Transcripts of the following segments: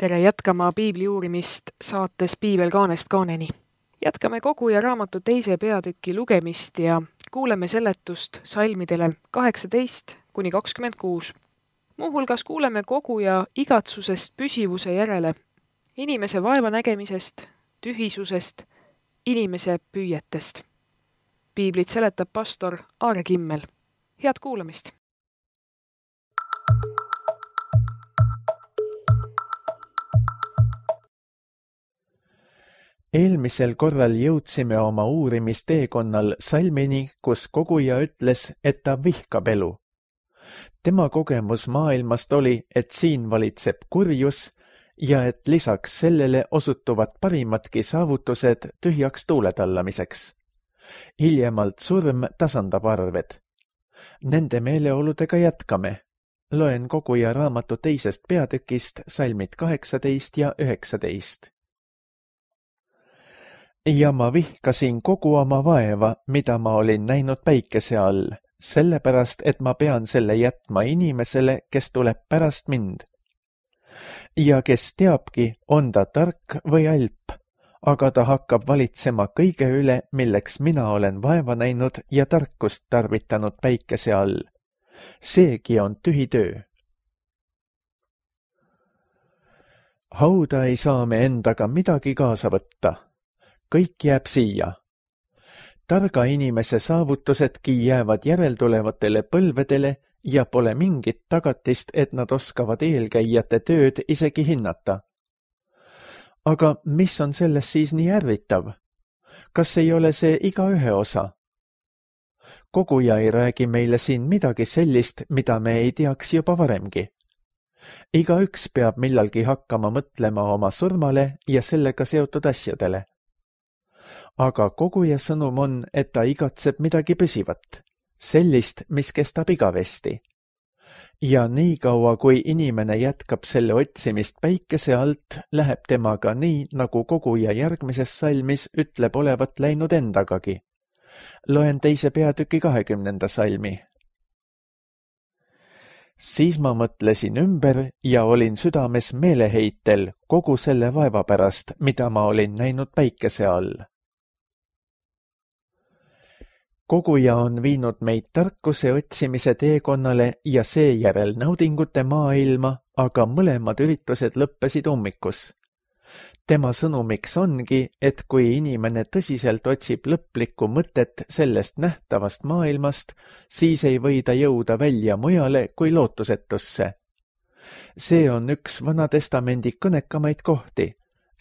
tere jätkama piibli uurimist saates Piibel kaanest kaaneni. Jätkame Koguja raamatu 2. peatüki lugemist ja kuuleme seletust salmidele 18-26. Muuhulgas kuuleme Koguja igatsusest püsivuse järele, inimese vaevanägemisest, tühisusest, inimese püüetest. Piiblit seletab pastor Aare Kimmel. Head kuulamist! Eelmisel korral jõudsime oma uurimisteekonnal salmini, kus Koguja ütles, et ta vihkab elu. Tema kogemus maailmast oli, et siin valitseb kurjus ja et lisaks sellele osutuvad parimadki saavutused tühjaks tuuletallamiseks. Hiljemalt surm tasandab arved. Nende meeleoludega jätkame. Loen Koguja raamatu 2. peatükist salmid 18 ja 19. Ja ma vihkasin kogu oma vaeva, mida ma olin näinud päikese all, sellepärast, et ma pean selle jätma inimesele, kes tuleb pärast mind. Ja kes teabki, on ta tark või alp, aga ta hakkab valitsema kõige üle, milleks mina olen vaeva näinud ja tarkust tarvitanud päikese all. Seegi on tühi töö. Hauda ei saa me endaga midagi kaasa võtta. Kõik jääb siia. Targa inimese saavutusedki jäävad järeltulevatele põlvedele ja pole mingit tagatist, et nad oskavad eelkäijate tööd isegi hinnata. Aga mis on selles siis nii ärritav? Kas ei ole see igaühe osa? Koguja ei räägi meile siin midagi sellist, mida me ei teaks juba varemgi. Igaüks peab millalgi hakkama mõtlema oma surmale ja sellega seotud asjadele. Aga Koguja sõnum on, et ta igatseb midagi püsivat, sellist, mis kestab igavesti. Ja nii kaua, kui inimene jätkab selle otsimist päikese alt, läheb temaga nii, nagu Koguja järgmises salmis ütleb olevat läinud endagagi. Loen 2. peatüki 20. salmi. Siis ma mõtlesin ümber ja olin südames meeleheitel kogu selle vaeva pärast, mida ma olin näinud päikese all. Koguja on viinud meid tarkuse otsimise teekonnale ja seejärel naudingute maailma, aga mõlemad üritused lõppesid ummikus. Tema sõnumiks ongi, et kui inimene tõsiselt otsib lõplikku mõtet sellest nähtavast maailmast, siis ei või ta jõuda välja mujale kui lootusetusse. See on üks Vana Testamendi kõnekamaid kohti,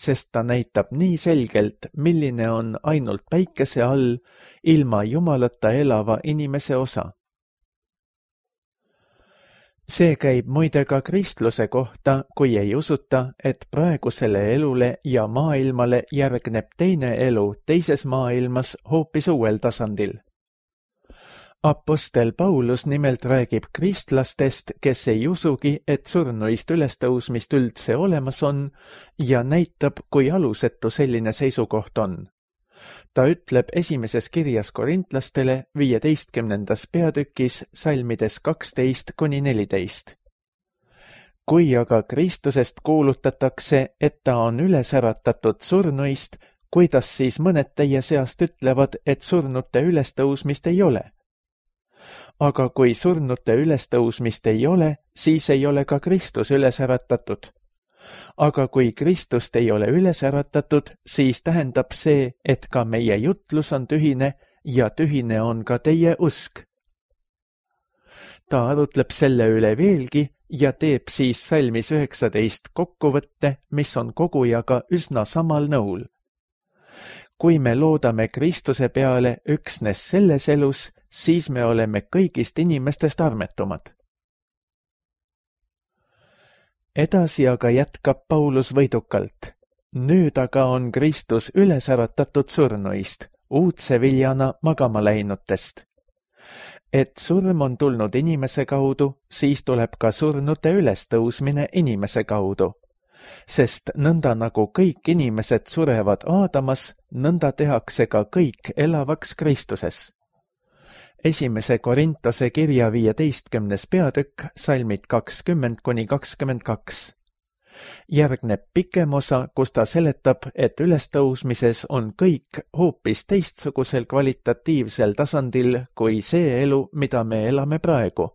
sest ta näitab nii selgelt, milline on ainult päikese all ilma Jumalata elava inimese osa. See käib muide ka kristluse kohta, kui ei usuta, et praegusele elule ja maailmale järgneb teine elu teises maailmas hoopis uuel tasandil. Apostel Paulus nimelt räägib kristlastest, kes ei usugi, et surnuist ülestõusmist üldse olemas on ja näitab, kui alusetu selline seisukoht on. Ta ütleb esimeses kirjas korintlastele 15. peatükis salmides 12-14. Kui aga Kristusest kuulutatakse, et ta on üles äratatud surnuist, kuidas siis mõned teie seast ütlevad, et surnute ülestõusmist ei ole? Aga kui surnute ülestõusmist ei ole, siis ei ole ka Kristus üles äratatud. Aga kui Kristust ei ole üles äratatud, siis tähendab see, et ka meie jutlus on tühine ja tühine on ka teie usk. Ta arutleb selle üle veelgi ja teeb siis salmis 19 kokkuvõtte, mis on Kogujaga üsna samal nõul. Kui me loodame Kristuse peale üksnes selles elus, siis me oleme kõigist inimestest armetumad. Edasi aga jätkab Paulus võidukalt. Nüüd aga on Kristus üles äratatud surnuist, uudse viljana magama läinutest. Et surm on tulnud inimese kaudu, siis tuleb ka surnute ülestõusmine inimese kaudu. Sest nõnda nagu kõik inimesed surevad Aadamas, nõnda tehakse ka kõik elavaks Kristuses. 1. Korintose kirja 15. peatükk, salmid 20-22. Järgneb pikem osa, kus ta seletab, et ülestõusmises on kõik hoopis teistsugusel kvalitatiivsel tasandil kui see elu, mida me elame praegu.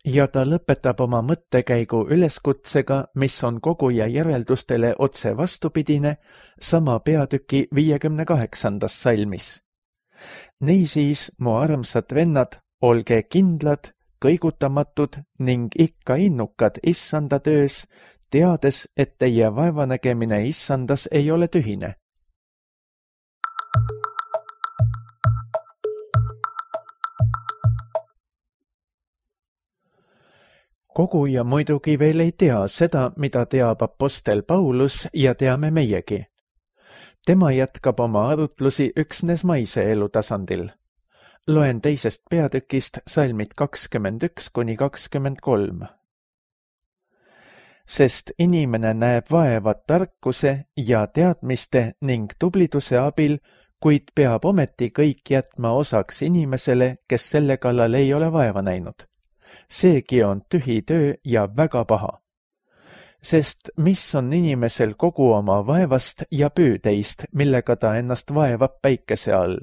Ja ta lõpetab oma mõttekäigu üleskutsega, mis on koguja järeldustele otse vastupidine sama peatüki 58. salmis. Niisiis, mu armsad vennad, olge kindlad, kõigutamatud ning ikka innukad issanda töös, teades, et teie vaevanägemine issandas ei ole tühine. Koguja muidugi veel ei tea seda, mida teab apostel Paulus ja teame meiegi. Tema jätkab oma arutlusi üksnes maise elu tasandil. Loen 2. peatükist salmid 21–23. Sest inimene näeb vaeva tarkuse ja teadmiste ning tubliduse abil, kuid peab ometi kõik jätma osaks inimesele, kes selle kallal ei ole vaeva näinud. Seegi on tühi töö ja väga paha. Sest mis on inimesel kogu oma vaevast ja püüdeist, millega ta ennast vaevab päikese all?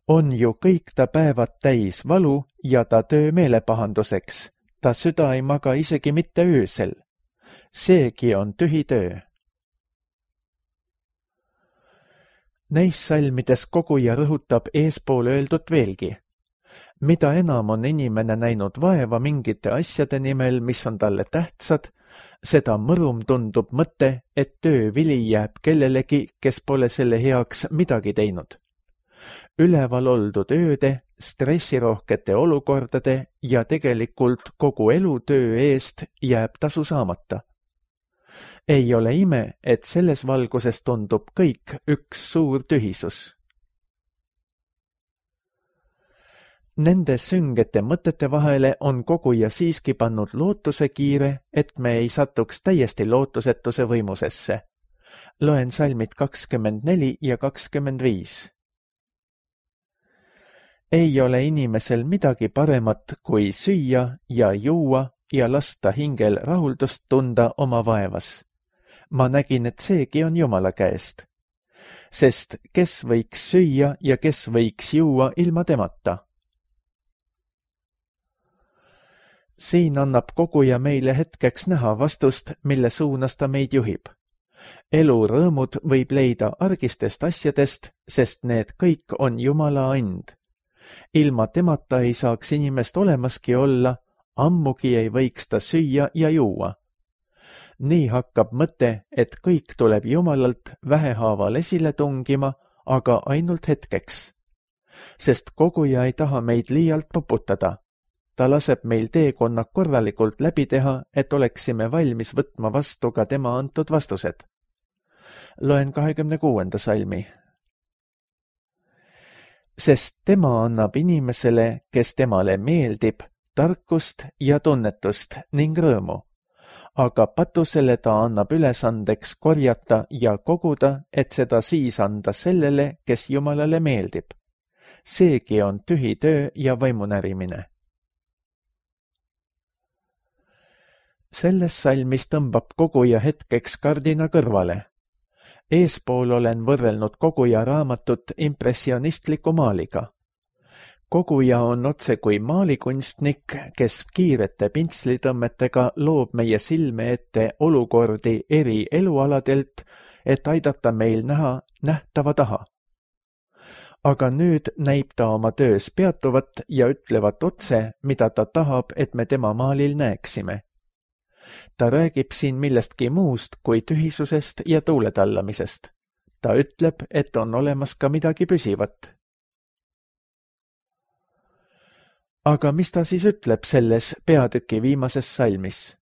On ju kõik ta päevad täis valu ja ta töö meelepahanduseks, ta süda ei maga isegi mitte öösel. Seegi on tühi töö. Neis salmides koguja rõhutab eespool öeldut veelgi. Mida enam on inimene näinud vaeva mingite asjade nimel, mis on talle tähtsad, seda mõrum tundub mõte, et töövili jääb kellelegi, kes pole selle heaks midagi teinud. Üleval oldud ööde, stressirohkete olukordade ja tegelikult kogu elutöö eest jääb tasu saamata. Ei ole ime, et selles valguses tundub kõik üks suur tühisus. Nende süngete mõtete vahele on koguja siiski pannud lootuse kiire, et me ei satuks täiesti lootusetuse võimusesse. Loen salmid 24 ja 25. Ei ole inimesel midagi paremat kui süüa ja juua ja lasta hingel rahuldust tunda oma vaevas. Ma nägin, et seegi on Jumala käest. Sest kes võiks süüa ja kes võiks juua ilma temata? Siin annab koguja meile hetkeks näha vastust, mille suunas ta meid juhib. Elu rõõmud võib leida argistest asjadest, sest need kõik on Jumala and. Ilma temata ei saaks inimest olemaski olla, ammugi ei võiks ta süüa ja juua. Nii hakkab mõte, et kõik tuleb Jumalalt vähehaaval esile tungima, aga ainult hetkeks. Sest koguja ei taha meid liialt poputada. Ta laseb meil teekonna korralikult läbi teha, et oleksime valmis võtma vastu ka tema antud vastused. Loen 26. salmi. Sest tema annab inimesele, kes temale meeldib, tarkust ja tunnetust ning rõõmu. Aga patusele ta annab ülesandeks korjata ja koguda, et seda siis anda sellele, kes Jumalale meeldib. Seegi on tühi töö ja vaimunärimine. Selles salmis tõmbab koguja hetkeks kardina kõrvale. Eespool olen võrrelnud koguja raamatut impressionistliku maaliga. Koguja on otse kui maalikunstnik, kes kiirete pintslitõmmetega loob meie silme ette olukordi eri elualadelt, et aidata meil näha nähtava taha. Aga nüüd näib ta oma töös peatuvat ja ütlevat otse, mida ta tahab, et me tema maalil näeksime. Ta räägib siin millestki muust kui tühisusest ja tuuletallamisest. Ta ütleb, et on olemas ka midagi püsivat. Aga mis ta siis ütleb selles peatüki viimases salmis?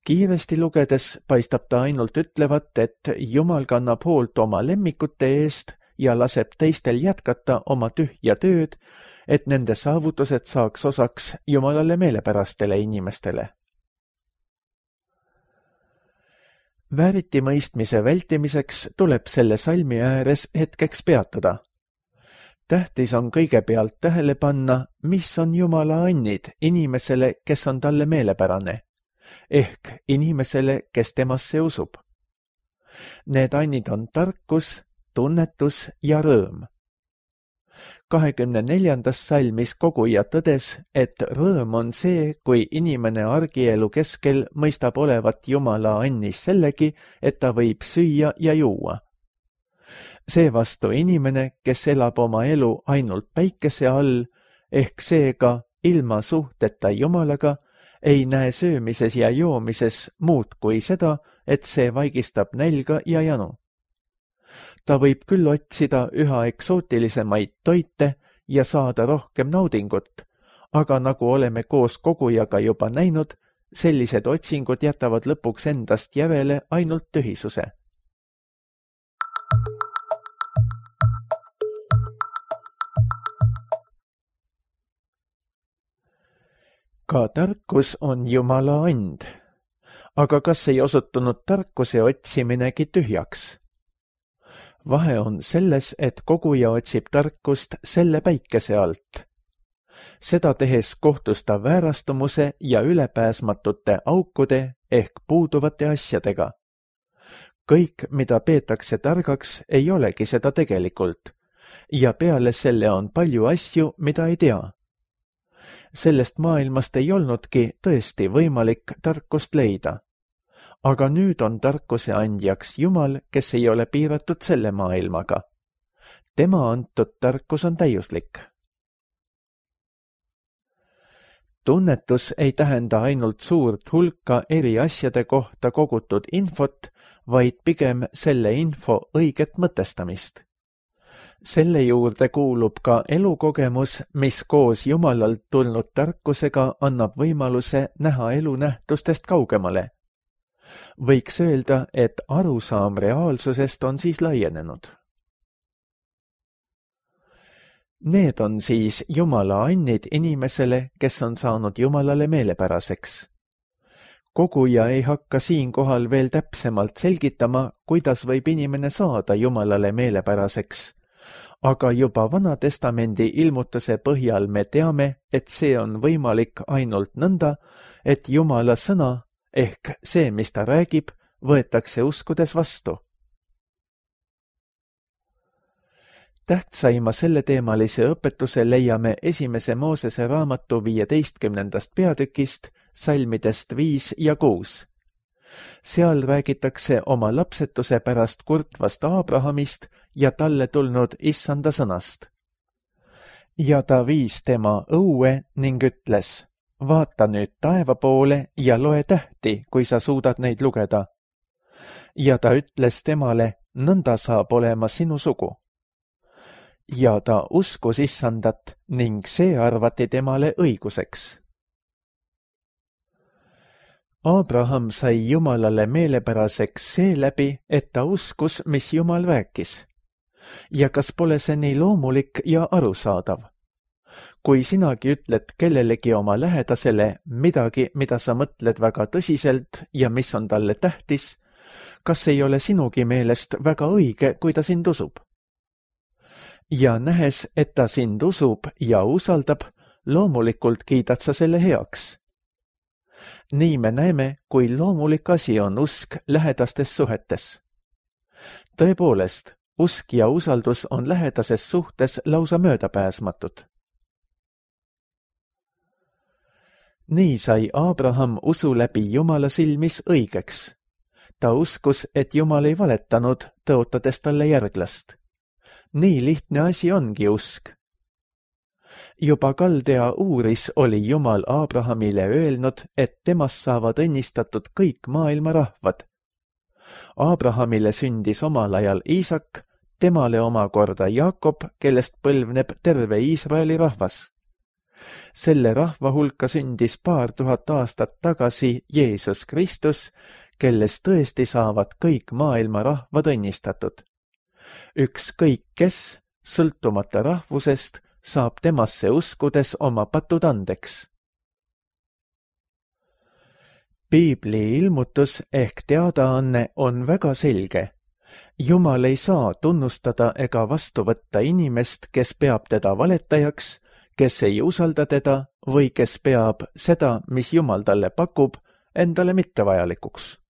Kiiresti lugedes paistab ta ainult ütlevat, et Jumal kannab hoolt oma lemmikute eest ja laseb teistel jätkata oma tühja tööd, et nende saavutused saaks osaks Jumalale meelepärastele inimestele. Vääritimõistmise vältimiseks tuleb selle salmi ääres hetkeks peatuda. Tähtis on kõigepealt tähele panna, mis on Jumala annid inimesele, kes on talle meelepärane. ehk inimesele, kes temasse usub. Need annid on tarkus, tunnetus ja rõõm. 24. salmis koguja tõdes, et rõõm on see, kui inimene argielu keskel mõistab olevat Jumala annis sellegi, et ta võib süüa ja juua. Seevastu inimene, kes elab oma elu ainult päikese all, ehk seega ilma suhteta Jumalaga, ei näe söömises ja joomises muud kui seda, et see vaigistab nälga ja janu. Ta võib küll otsida üha eksootilisemaid toite ja saada rohkem naudingut, aga nagu oleme koos kogujaga juba näinud, sellised otsingud jätavad lõpuks endast järele ainult tühisuse. Ka tarkus on Jumala and, aga kas ei osutunud tarkuse otsiminegi tühjaks? Vahe on selles, et koguja otsib tarkust selle päikese alt. Seda tehes kohtus ta väärastumuse ja ülepääsmatute aukude ehk puuduvate asjadega. Kõik, mida peetakse targaks, ei olegi seda tegelikult, ja peale selle on palju asju, mida ei tea. Sellest maailmast ei olnudki tõesti võimalik tarkust leida. Aga nüüd on tarkuse andjaks Jumal, kes ei ole piiratud selle maailmaga. Tema antud tarkus on täiuslik. Tunnetus ei tähenda ainult suurt hulka eri asjade kohta kogutud infot, vaid pigem selle info õiget mõtestamist. Selle juurde kuulub ka elukogemus, mis koos Jumalalt tulnud tarkusega annab võimaluse näha elu nähtustest kaugemale. Võiks öelda, et arusaam reaalsusest on siis laienenud. Need on siis Jumala annid inimesele, kes on saanud Jumalale meelepäraseks. Koguja ei hakka siinkohal veel täpsemalt selgitama, kuidas võib inimene saada Jumalale meelepäraseks, aga juba Vana-testamendi ilmutuse põhjal me teame, et see on võimalik ainult nõnda, et Jumala sõna ehk see, mis ta räägib, võetakse uskudes vastu. Tähtsaima selleteemalise õpetuse leiame 1. Moosese raamatu 15. peatükist, salmidest 5 ja 6. Seal räägitakse oma lapsetuse pärast kurtvast Abrahamist ja talle tulnud issanda sõnast. Ja ta viis tema õue ning ütles: vaata nüüd taeva poole ja loe tähti, kui sa suudad neid lugeda. Ja ta ütles temale: nõnda saab olema sinu sugu. Ja ta uskus issandat ning see arvati temale õiguseks. Abraham sai Jumalale meelepäraseks seeläbi, et ta uskus, mis Jumal rääkis. Ja kas pole see nii loomulik ja arusaadav? Kui sinagi ütled kellelegi oma lähedasele midagi, mida sa mõtled väga tõsiselt ja mis on talle tähtis, kas ei ole sinugi meelest väga õige, kui ta sind usub? Ja nähes, et ta sind usub ja usaldab, loomulikult kiidad sa selle heaks. Nii me näeme, kui loomulik asi on usk lähedastes suhetes. Tõepoolest, usk ja usaldus on lähedases suhtes lausa möödapääsmatud. Nii sai Abraham usu läbi Jumala silmis õigeks. Ta uskus, et Jumal ei valetanud, tõotades talle järglast. Nii lihtne asi ongi usk. Juba Kaldea Uuris oli Jumal Abrahamile öelnud, et temast saavad õnnistatud kõik maailma rahvad. Abrahamile sündis omal ajal Iisak, temale omakorda Jaakob, kellest põlvneb terve Iisraeli rahvas. Selle rahva hulka sündis 2000 aastat tagasi Jeesus Kristus, kellest tõesti saavad kõik maailma rahvad õnnistatud. Ükskõik kes, sõltumata rahvusest, saab temasse uskudes oma patud andeks. Piibli ilmutus ehk teadaanne on väga selge. Jumal ei saa tunnustada ega vastu võtta inimest, kes peab teda valetajaks, kes ei usalda teda või kes peab seda, mis Jumal talle pakub, endale mittevajalikuks.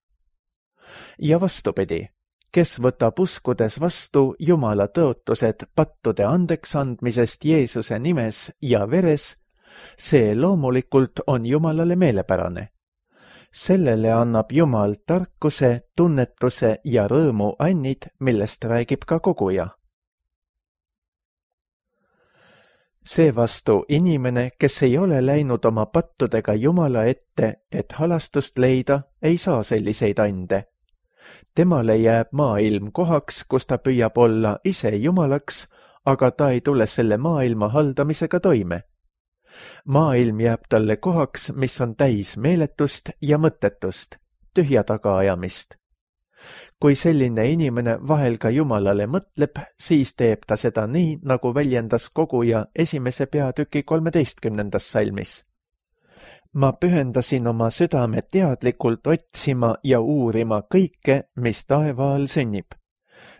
Ja vastupidi, kes võtab uskudes vastu Jumala tõotused pattude andeks andmisest Jeesuse nimes ja veres, see loomulikult on Jumalale meelepärane. Sellele annab Jumal tarkuse, tunnetuse ja rõõmu annid, millest räägib ka koguja. Seevastu inimene, kes ei ole läinud oma pattudega Jumala ette, et halastust leida, ei saa selliseid ande. Temale jääb maailm kohaks, kus ta püüab olla ise Jumalaks, aga ta ei tule selle maailma haldamisega toime. Maailm jääb talle kohaks, mis on täis meeletust ja mõttetust, tühja tagaajamist. Kui selline inimene vahel ka Jumalale mõtleb, siis teeb ta seda nii, nagu väljendas koguja 1. peatüki 13. salmis. Ma pühendasin oma südame teadlikult otsima ja uurima kõike, mis taeva all sünnib.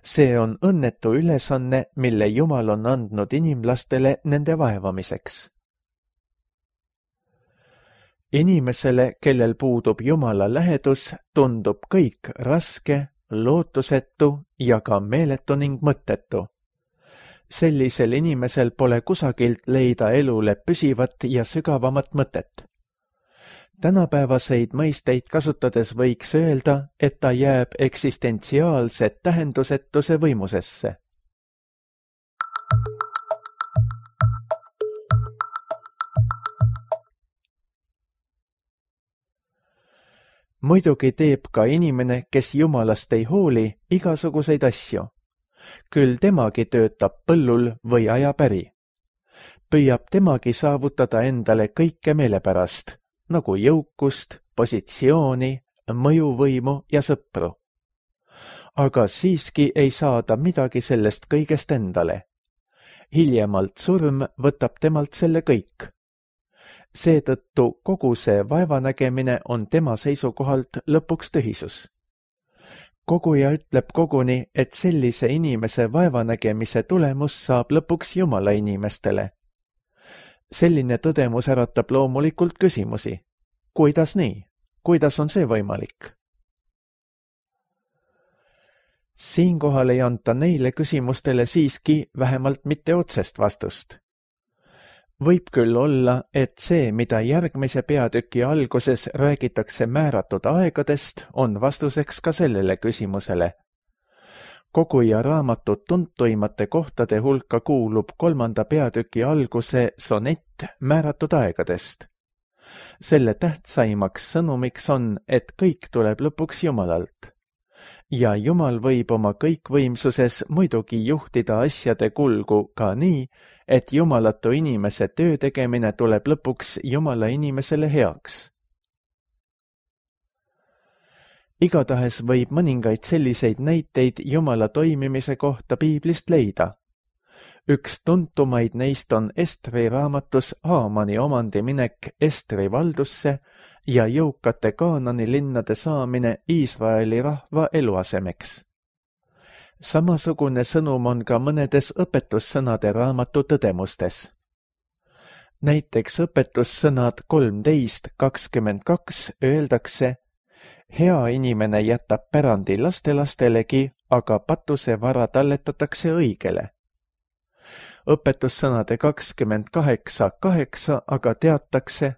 See on õnnetu ülesanne, mille Jumal on andnud inimlastele nende vaevamiseks. Inimesele, kellel puudub Jumala lähedus, tundub kõik raske, lootusetu ja ka meeletu ning mõttetu. Sellisel inimesel pole kusagilt leida elule püsivat ja sügavamat mõtet. Tänapäevaseid mõisteid kasutades võiks öelda, et ta jääb eksistentsiaalse tähendusetuse võimusesse. Muidugi teeb ka inimene, kes Jumalast ei hooli, igasuguseid asju. Küll temagi töötab põllul või ajab äri. Püüab temagi saavutada endale kõike meelepärast, nagu jõukust, positsiooni, mõjuvõimu ja sõpru. Aga siiski ei saa ta midagi sellest kõigest endale. Hiljemalt surm võtab temalt selle kõik. Seetõttu kogu see vaevanägemine on tema seisukohalt lõpuks tühisus. Koguja ütleb koguni, et sellise inimese vaevanägemise tulemus saab lõpuks Jumala inimestele. Selline tõdemus äratab loomulikult küsimusi. Kuidas nii? Kuidas on see võimalik? Siinkohal ei anta neile küsimustele siiski vähemalt mitte otsest vastust. Võib küll olla, et see, mida järgmise peatüki alguses räägitakse määratud aegadest, on vastuseks ka sellele küsimusele. Koguja raamatu tuntuimate kohtade hulka kuulub 3. peatüki alguse sonett määratud aegadest. Selle tähtsaimaks sõnumiks on, et kõik tuleb lõpuks Jumalalt. Ja Jumal võib oma kõikvõimsuses muidugi juhtida asjade kulgu ka nii, et jumalatu inimese töö tegemine tuleb lõpuks Jumala inimesele heaks. Igatahes võib mõningaid selliseid näiteid Jumala toimimise kohta piiblist leida. Üks tuntumaid neist on Estri raamatus Haamani omandiminek Estri valdusse ja jõukate Kaanani linnade saamine Iisraeli rahva eluasemeks. Samasugune sõnum on ka mõnedes õpetussõnade raamatu tõdemustes. Näiteks õpetussõnad 13:22 öeldakse: hea inimene jätab pärandi lastelastelegi, aga patuse vara talletatakse õigele. Õpetussõnade 28:8 aga teatakse: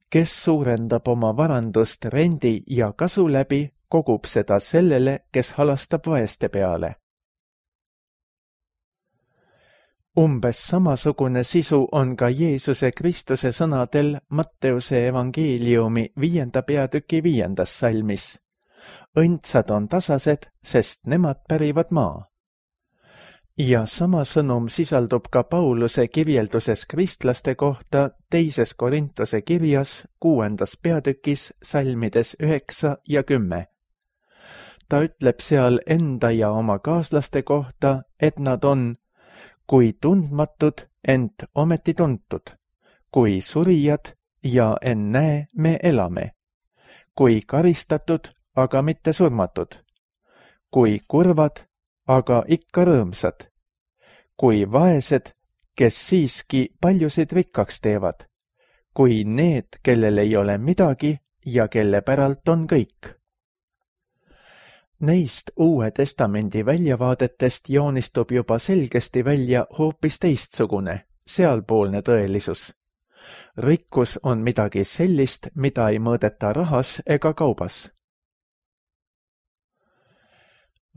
kes suurendab oma varandust rendi ja kasu läbi, kogub seda sellele, kes halastab vaeste peale. Umbes samasugune sisu on ka Jeesuse Kristuse sõnadel Matteuse evangeeliumi 5. peatüki 5. salmis. Õndsad on tasased, sest nemad pärivad maa. Ja sama sõnum sisaldub ka Pauluse kirjelduses kristlaste kohta 2. Korintuse kirjas 6. peatükis salmides 9 ja 10. Ta ütleb seal enda ja oma kaaslaste kohta, et nad on kui tundmatud, ent ometi tuntud, kui surijad ja ennäe me elame, kui karistatud, aga mitte surmatud, kui kurvad, aga ikka rõõmsad, kui vaesed, kes siiski paljusid rikkaks teevad, kui need, kellel ei ole midagi ja kelle päralt on kõik. Neist Uue Testamendi väljavaadetest joonistub juba selgesti välja hoopis teistsugune, sealpoolne tõelisus. Rikkus on midagi sellist, mida ei mõõdeta rahas ega kaubas.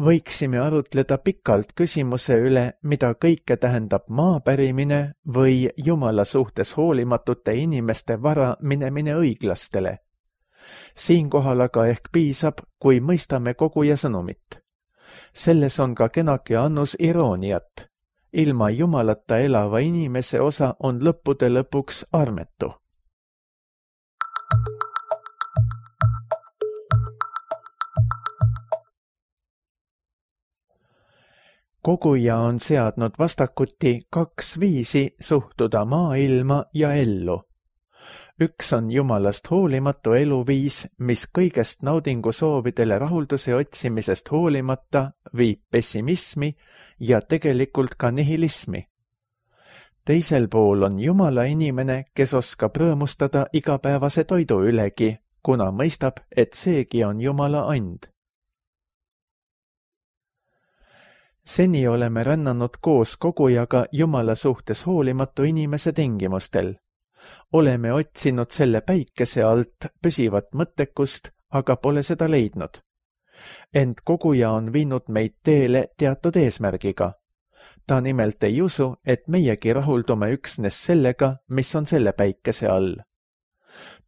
Võiksime arutleda pikalt küsimuse üle, mida kõike tähendab maapärimine või Jumala suhtes hoolimatute inimeste vara minemine õiglastele. Siinkohal aga ehk piisab, kui mõistame koguja sõnumit. Selles on ka kenake annus irooniat. Ilma Jumalata elava inimese osa on lõppude lõpuks armetu. Koguja on seadnud vastakuti 2 viisi suhtuda maailma ja ellu. Üks on Jumalast hoolimatu eluviis, mis kõigest naudingusoovidele rahulduse otsimisest hoolimata viib pessimismi ja tegelikult ka nihilismi. Teisel pool on Jumala inimene, kes oskab rõõmustada igapäevase toidu ülegi, kuna mõistab, et seegi on Jumala and. Seni oleme rännanud koos kogujaga Jumala suhtes hoolimatu inimese tingimustel. Oleme otsinud selle päikese alt püsivat mõttekust, aga pole seda leidnud. Ent koguja on viinud meid teele teatud eesmärgiga. Ta nimelt ei usu, et meiegi rahuldume üksnes sellega, mis on selle päikese all.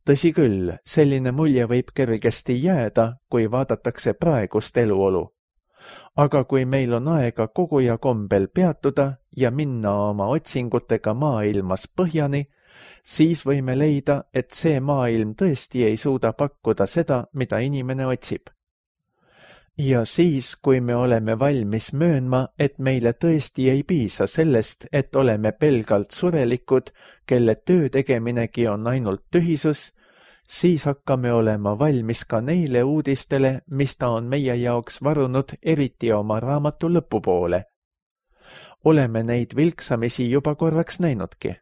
Tõsi küll, selline mulje võib kergesti jääda, kui vaadatakse praegust eluolu. Aga kui meil on aega koguja kombel peatuda ja minna oma otsingutega maailmas põhjani, siis võime leida, et see maailm tõesti ei suuda pakkuda seda, mida inimene otsib. Ja siis, kui me oleme valmis möönma, et meile tõesti ei piisa sellest, et oleme pelgalt surelikud, kelle töö tegeminegi on ainult tühisus, siis hakkame olema valmis ka neile uudistele, mis ta on meie jaoks varunud eriti oma raamatu lõpupoole. Oleme neid vilksamisi juba korraks näinudki.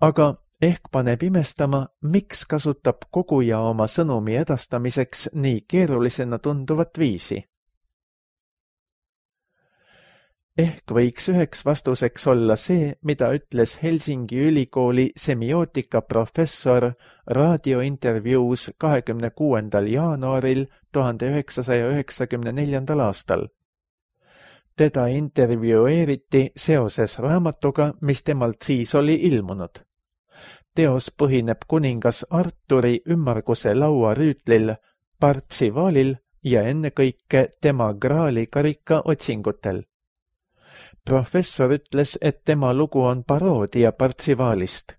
Aga ehk paneb imestama, miks kasutab koguja oma sõnumi edastamiseks nii keerulisena tunduvat viisi. Ehk võiks üheks vastuseks olla see, mida ütles Helsingi ülikooli semiootika professor raadiointervjuus 26. jaanuaril 1994. aastal. Teda intervjueeriti seoses raamatuga, mis temalt siis oli ilmunud. Teos põhineb kuningas Arturi ümmarguse laua rüütlil, Partsivaalil ja ennekõike tema Graali karika otsingutel. Professor ütles, et tema lugu on paroodia Partsivaalist.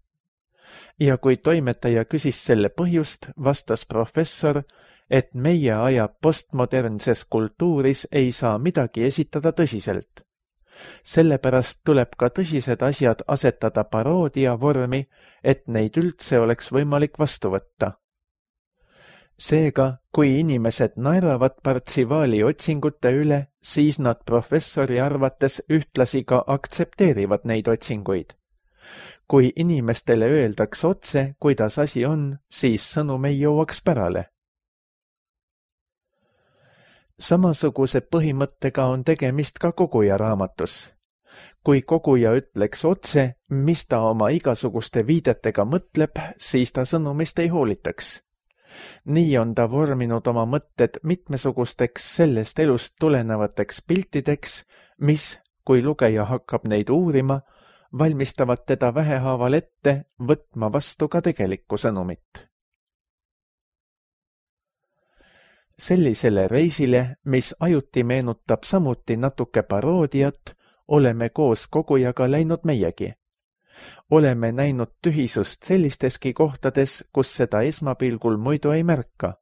Ja kui toimetaja küsis selle põhjust, vastas professor, et meie aja postmodernses kultuuris ei saa midagi esitada tõsiselt. Sellepärast tuleb ka tõsised asjad asetada paroodia vormi, et neid üldse oleks võimalik vastu võtta. Seega, kui inimesed naeravad Partsivaali otsingute üle, siis nad professori arvates ühtlasi ka aktsepteerivad neid otsinguid. Kui inimestele öeldaks otse, kuidas asi on, siis sõnum ei jõuaks pärale. Samasuguse põhimõttega on tegemist ka koguja raamatus. Kui koguja ütleks otse, mis ta oma igasuguste viidetega mõtleb, siis ta sõnumist ei hoolitaks. Nii on ta vorminud oma mõtted mitmesugusteks sellest elust tulenevateks piltideks, mis, kui lugeja hakkab neid uurima, valmistavad teda vähehaaval ette võtma vastu ka tegelikku sõnumit. Sellisele reisile, mis ajuti meenutab samuti natuke paroodiat, oleme koos kogujaga läinud meiegi. Oleme näinud tühisust sellisteski kohtades, kus seda esmapilgul muidu ei märka.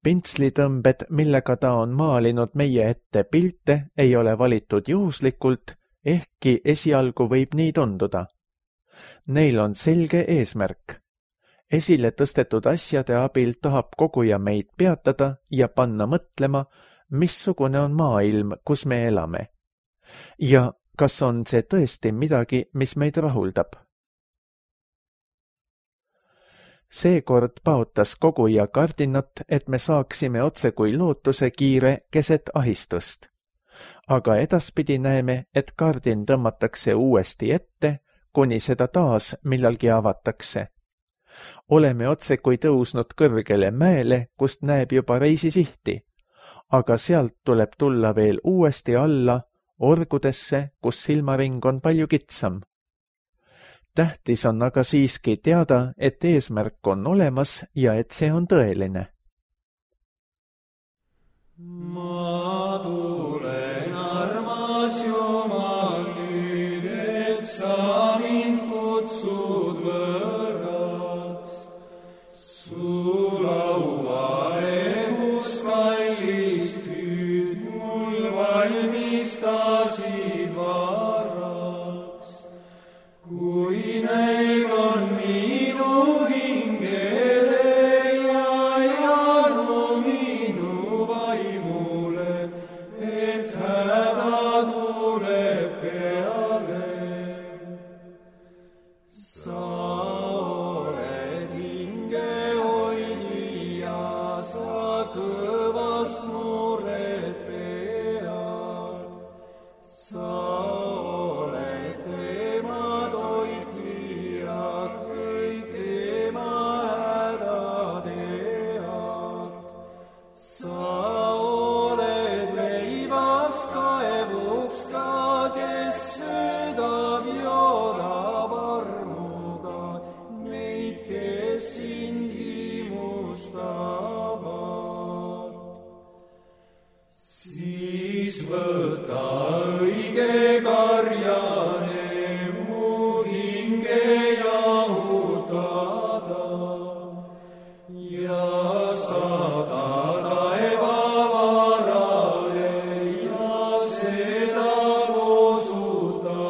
Pintslitõmbed, millega ta on maalinud meie ette pilte, ei ole valitud juhuslikult, ehkki esialgu võib nii tunduda. Neil on selge eesmärk. Esile tõstetud asjade abil tahab koguja meid peatada ja panna mõtlema, missugune on maailm, kus me elame. Ja kas on see tõesti midagi, mis meid rahuldab? Seekord paotas koguja kardinat, et me saaksime otse kui lootuse kiire keset ahistust. Aga edaspidi näeme, et kardin tõmmatakse uuesti ette, kuni seda taas millalgi avatakse. Oleme otse kui tõusnud kõrgele mäele, kust näeb juba reisisihti, aga sealt tuleb tulla veel uuesti alla, orgudesse, kus silmaring on palju kitsam. Tähtis on aga siiski teada, et eesmärk on olemas ja et see on tõeline. Ma tulen, armas Jumal, nüüd, et sa mind kutsud võrraks. Su lauale, kus kallist hüüd mul valmistasid varraks. Kui nälg on minu hingele ja janu minu vaimule, et häda tuleb peale. Sa oled hingehoidja, sa kõvast mured pead. Sa oled tema toitja, kõik tema häda tead. Sa oled leivast kaevuks ka, kes söödab, joodab armuga neid, kes sind himustavad. Siis võta õige karjane mu hinge jahutada ja saada taeva varale ja seda loosutada.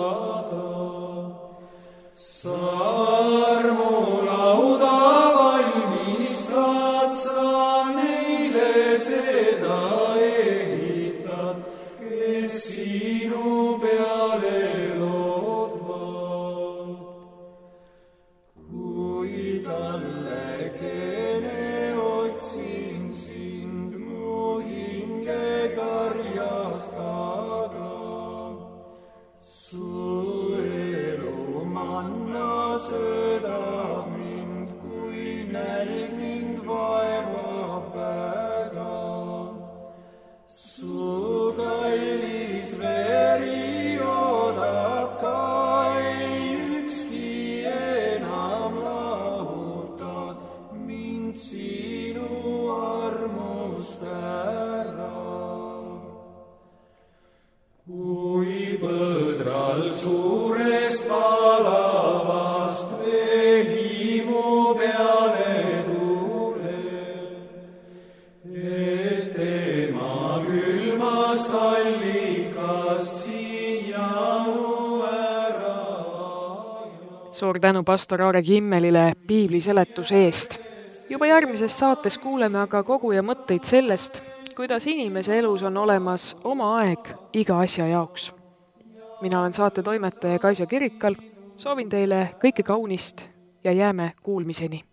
Sa armulauda valmistad, sa neile seda ehitad, kes sinu peale loodvad. Kui tallekene otsin sind mu hinge karjastaga, su elu manna söödab mind, kui nälg mind vaevab väga. Su kallis veri joodab ka, ei ükski enam lahuta mind sinu armust ära. Kui põdral suurest palavast vehimu peale tuleb, et tema külmast allikast siianu ära ajab. Suur tänu pastor Aarek Himmelile piibli seletuse eest. Juba järgmises saates kuuleme aga koguja mõtteid sellest, kuidas inimese elus on olemas oma aeg iga asja jaoks. Mina olen saate toimetaja Kaisa Kirikal, soovin teile kõike kaunist ja jääme kuulmiseni.